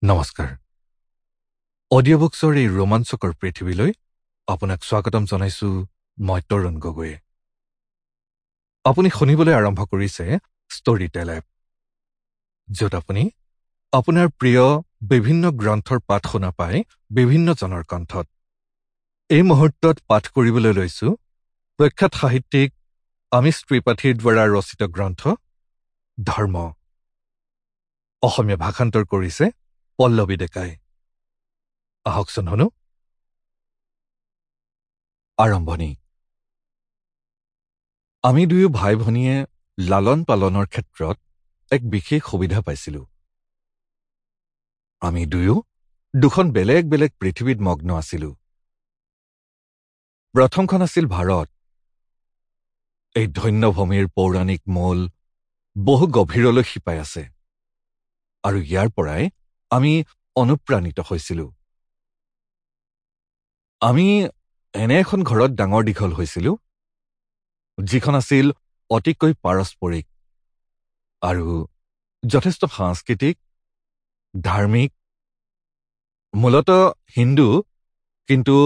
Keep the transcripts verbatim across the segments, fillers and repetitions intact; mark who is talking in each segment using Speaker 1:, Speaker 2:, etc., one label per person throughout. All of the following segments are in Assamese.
Speaker 1: নমস্কাৰ। অডিঅ' বুকছৰ এই ৰোমাঞ্চকৰ পৃথিৱীলৈ আপোনাক স্বাগতম জনাইছো মই তৰুণ গগৈয়ে। আপুনি শুনিবলৈ আৰম্ভ কৰিছে ষ্টৰী টেল এপ, য'ত আপুনি আপোনাৰ প্ৰিয় বিভিন্ন গ্ৰন্থৰ পাঠ শুনা পায় বিভিন্নজনৰ কণ্ঠত। এই মুহূৰ্তত পাঠ কৰিবলৈ লৈছো প্ৰখ্যাত সাহিত্যিক আমিষ ত্ৰিপাঠীৰ দ্বাৰা ৰচিত গ্ৰন্থ ধৰ্ম। অসমীয়া ভাষান্তৰ কৰিছে পল্লৱী ডেকাই। আহকচোন শুনো। আৰম্ভণি। আমি দুয়ো ভাই ভনীয়ে লালন পালনৰ ক্ষেত্ৰত এক বিশেষ সুবিধা পাইছিলোঁ। আমি দুয়ো দুখন বেলেগ বেলেগ পৃথিৱীত মগ্ন আছিলোঁ। প্ৰথমখন আছিল ভাৰত। এই ধন্য ভূমিৰ পৌৰাণিক মূল বহু গভীৰলৈ শিপাই আছে আৰু ইয়াৰ পৰাই আমি অনুপ্ৰাণিত হৈছিলোঁ। আমি এনে এখন ঘৰত ডাঙৰ দীঘল হৈছিলোঁ যিখন আছিল অতিকৈ পাৰস্পৰিক আৰু যথেষ্ট সাংস্কৃতিক, ধাৰ্মিক, মূলতঃ হিন্দু, কিন্তু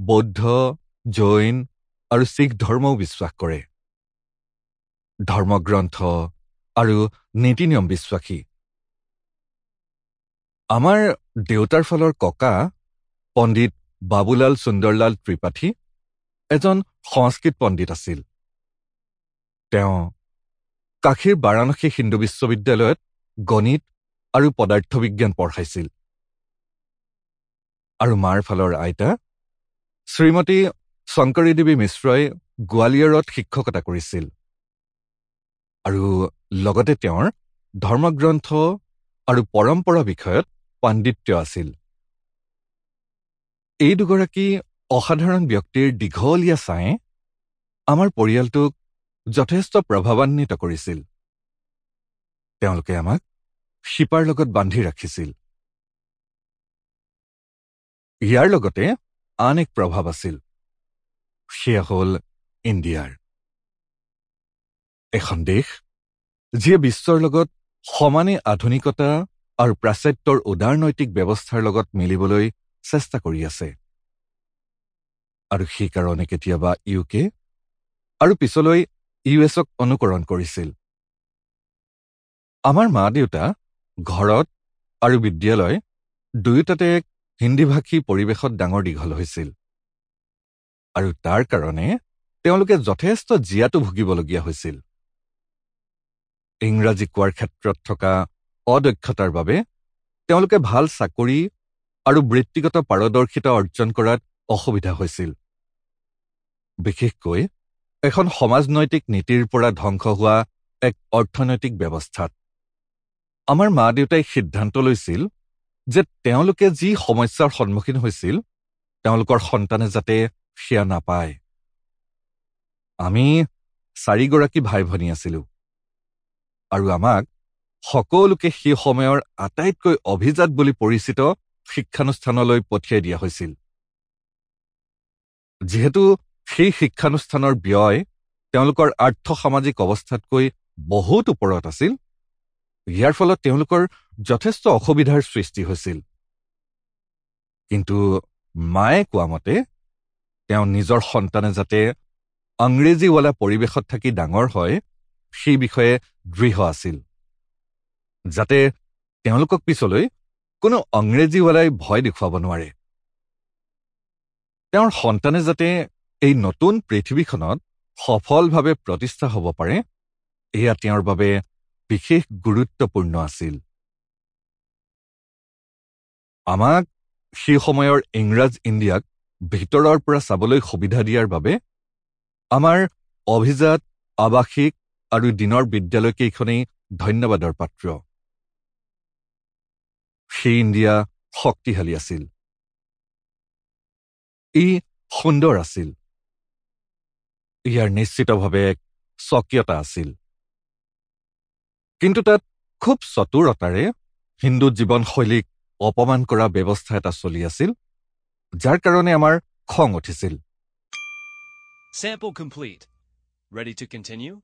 Speaker 1: বৌদ্ধ, জৈন আৰু শিখ ধৰ্মও বিশ্বাস কৰে, ধৰ্মগ্ৰন্থ আৰু নীতি নিয়ম বিশ্বাসী। আমাৰ দেউতাৰ ফালৰ ককা পণ্ডিত বাবুলাল সুন্দৰলাল ত্ৰিপাঠী এজন সংস্কৃত পণ্ডিত আছিল। তেওঁ কাশীৰ বাৰাণসী হিন্দু বিশ্ববিদ্যালয়ত গণিত আৰু পদাৰ্থ বিজ্ঞান পঢ়াইছিল। আৰু মাৰ ফালৰ আইতা শ্ৰীমতী শংকৰী দেৱী মিশ্ৰই গোৱালিয়ৰত শিক্ষকতা কৰিছিল আৰু লগতে তেওঁৰ ধৰ্মগ্ৰন্থ আৰু পৰম্পৰা বিষয়ত পাণ্ডিত্য আছিল। এই দুগৰাকী অসাধাৰণ ব্যক্তিৰ দীঘলীয়া ছাঁয়ে আমাৰ পৰিয়ালটোক যথেষ্ট প্ৰভাৱান্বিত কৰিছিল। তেওঁলোকে আমাক শিপাৰ লগত বান্ধি ৰাখিছিল। ইয়াৰ লগতে আন এক প্ৰভাৱ আছিল, সেয়া হ'ল ইণ্ডিয়াৰ। এখন দেশ যিয়ে বিশ্বৰ লগত সমানে আধুনিকতা আৰু প্ৰাচ্যৰ উদাৰনৈতিক ব্যৱস্থাৰ লগত মিলিবলৈ চেষ্টা কৰি আছে আৰু সেইকাৰণে কেতিয়াবা ইউ কে আৰু পিছলৈ ইউ এছক অনুকৰণ কৰিছিল। আমাৰ মা দেউতা ঘৰত আৰু বিদ্যালয় দুয়োটাতে এক হিন্দীভাষী পৰিৱেশত ডাঙৰ দীঘল হৈছিল আৰু তাৰ কাৰণে তেওঁলোকে যথেষ্ট জীয়াতু ভুগিবলগীয়া হৈছিল। ইংৰাজী কোৱাৰ ক্ষেত্ৰত থকা অদক্ষতাৰ বাবে তেওঁলোকে ভাল চাকৰি আৰু বৃত্তিগত পাৰদৰ্শিতা অৰ্জন কৰাত অসুবিধা হৈছিল। বিশেষকৈ এখন সমাজনৈতিক নীতিৰ পৰা ধ্বংস হোৱা এক অৰ্থনৈতিক ব্যৱস্থাত। আমাৰ মা দেউতাই সিদ্ধান্ত লৈছিল যে তেওঁলোকে যি সমস্যাৰ সন্মুখীন হৈছিল তেওঁলোকৰ সন্তানে যাতে সেয়া নাপায়। আমি চাৰিগৰাকী ভাই ভনী আছিলোঁ আৰু আমাক সকলোকে সেই সময়ৰ আটাইতকৈ অভিজাত বুলি পৰিচিত শিক্ষানুষ্ঠানলৈ পঠিয়াই দিয়া হৈছিল। যিহেতু সেই শিক্ষানুষ্ঠানৰ ব্যয় তেওঁলোকৰ আৰ্থসামাজিক অৱস্থাতকৈ বহুত ওপৰত আছিল, ইয়াৰ ফলত তেওঁলোকৰ যথেষ্ট অসুবিধাৰ সৃষ্টি হৈছিল। কিন্তু মায়ে কোৱা মতে তেওঁ নিজৰ সন্তানে যাতে আংগ্ৰেজীৱালা পৰিৱেশত থাকি ডাঙৰ হয় সেই বিষয়ে দৃঢ় আছিল, যাতে তেওঁলোকক পিছলৈ কোনো আংগ্ৰেজীৱালাই ভয় দেখুৱাব নোৱাৰে। তেওঁৰ সন্তানে যাতে এই নতুন পৃথিৱীখনত সফলভাৱে প্ৰতিষ্ঠা হ'ব পাৰে এয়া তেওঁৰ বাবে বিশেষ গুৰুত্বপূৰ্ণ আছিল। আমাক সেই সময়ৰ ইংৰাজ ইণ্ডিয়াক ভিতৰৰ পৰা চাবলৈ সুবিধা দিয়াৰ বাবে আমাৰ অভিজাত আৱাসিক আৰু দিনৰ বিদ্যালয়কেইখনেই ধন্যবাদৰ পাত্ৰ। সেই ইণ্ডিয়া শক্তিশালী আছিল, ই সুন্দৰ আছিল, ইয়াৰ নিশ্চিতভাৱে এক স্বকীয়তা আছিল। কিন্তু তাত খুব চতুৰতাৰে হিন্দু জীৱনশৈলীক অপমান কৰা ব্যৱস্থা এটা চলি আছিল, যাৰ কাৰণে আমাৰ খং উঠিছিল।
Speaker 2: Sample complete. Ready to continue?